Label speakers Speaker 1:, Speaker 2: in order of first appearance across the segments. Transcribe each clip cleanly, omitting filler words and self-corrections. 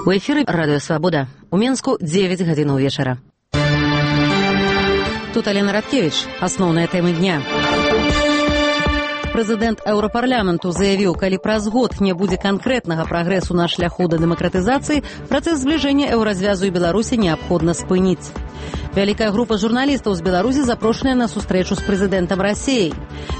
Speaker 1: У эфіры радыё Свабода. У Менску 9 гадзінаў вечара. Тут Алена Радкевіч. Асноўныя тэмы дня. Прэзідэнт Еўрапарламенту заявіў, калі праз год не будзе канкрэтнага прагрэсу на шляху да дэмакратызацыі, працэс збліжэння еўразвязу і Беларусі неабходна спыніць. Вялікая група журналістаў з Беларусі запрошаная на сустрэчу з прэзідэнтам Расіі.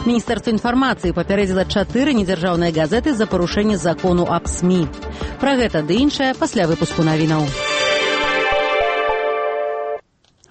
Speaker 1: Міністэрства інфармацыі папярэдзіла 4 недзяржаўныя газеты за парушэнне закону аб СМІ. Пра гэта ды іншае пасля выпуску навінаў.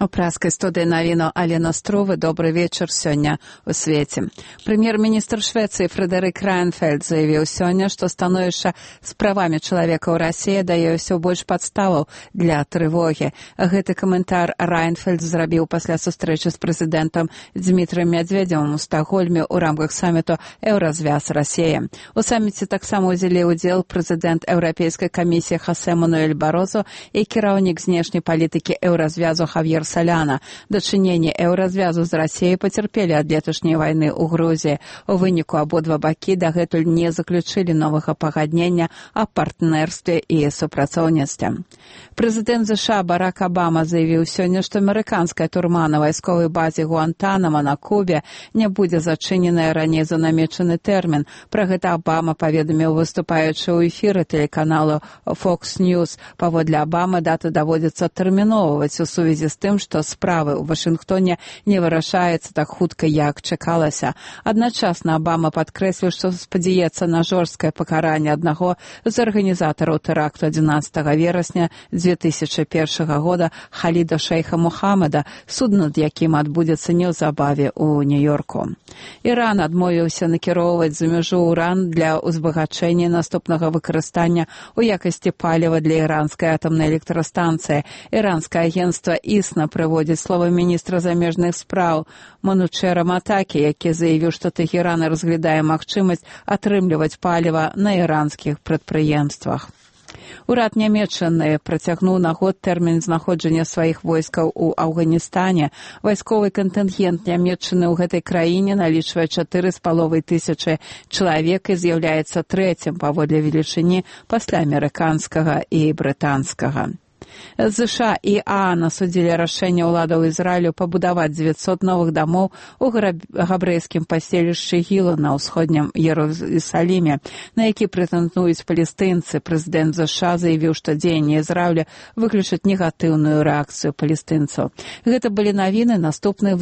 Speaker 2: У праскай студыі навіну Алена Струвы. Добры вечар сёння у свеце. Прэм'ер-міністр Швецыі Фрэдэрик Райнфельд заявіў сёння, што становішча з правамі чалавека ў Расіі дае ўсё больш падставаў для трывогі. Гэты каментар Райнфельд зрабіў пасля сустрэчы з прэзідэнтам Дзмітрыем Мядзведзевым у Стакгольме ў рамках саміту «Еўразвяз Расія». У саміце таксама ўзялі ўдзел прэзідэнт Еўрапейскай камісіі Хосе Мануэль Барозо і кіраўнік знешняй палітыкі Еўразвязу Хавьер Соляна. Дачыненні еўразвязу з Расіяй пацярпелі ад леташняй вайны ў Грузіі. У выніку абодва бакі дагэтуль не заключылі новага пагаднення аб партнерстве і супрацоўніцтве. Прэзідэнт США Барак Абама заявіў сёння, што амерыканская турма на вайсковай базе Гуантанамо на Кубе не будзе зачыненая раней за намечаны тэрмін. Пра гэта Абама паведаміў, выступаючы ў эфіры тэлеканалу Fox News. Паводле Абамы дата даводзіцца тэрміноўваць у сувязі з тым, што справы ў Вашынгтоне не вырашаецца так хутка, як чакалася. Адначасна Абама падкрэсліў, што спадзяецца на жорсткае пакаранне аднаго з арганізатараў тэракту 11 верасня 2001 года Халіда Шейха Мухаммада, суд над якім адбудзецца неўзабаве ў Нью-Йорку. Іран адмовіўся накіроўваць за мяжу уран для ўзбагачэння наступнага выкарыстання ў якасці паліва для іранскай атамнай электрастанцыі. Іранскае агенцтва ІСНА прыводзіць словы міністра замежных спраў Манучэра Матакі, які заявіў, што Тэхеран разглядае магчымасць атрымліваць паліва на іранскіх прадпрыемствах. Урад Нямецчыны працягнуў на год тэрмін знаходжання сваіх войскаў у Афганістане. Вайсковы кантынгент Нямецчыны ў гэтай краіне налічвае 4,5 тысячы чалавек і з'яўляецца трэцім паводле велічыні пасля амерыканскага і брытанскага. США і ААН асудзілі рашэнне ўладаў Ізраілю пабудаваць 900 новых дамоў у габрэйскім паселішчы Гіла на ўсходнім Іерусаліме, на які прэтэндуюць палестынцы. Прэзідэнт США заявіў, што дзеянні Ізраіля выключаць негатыўную рэакцыю палестынцаў. Гэта былі навіны. Наступны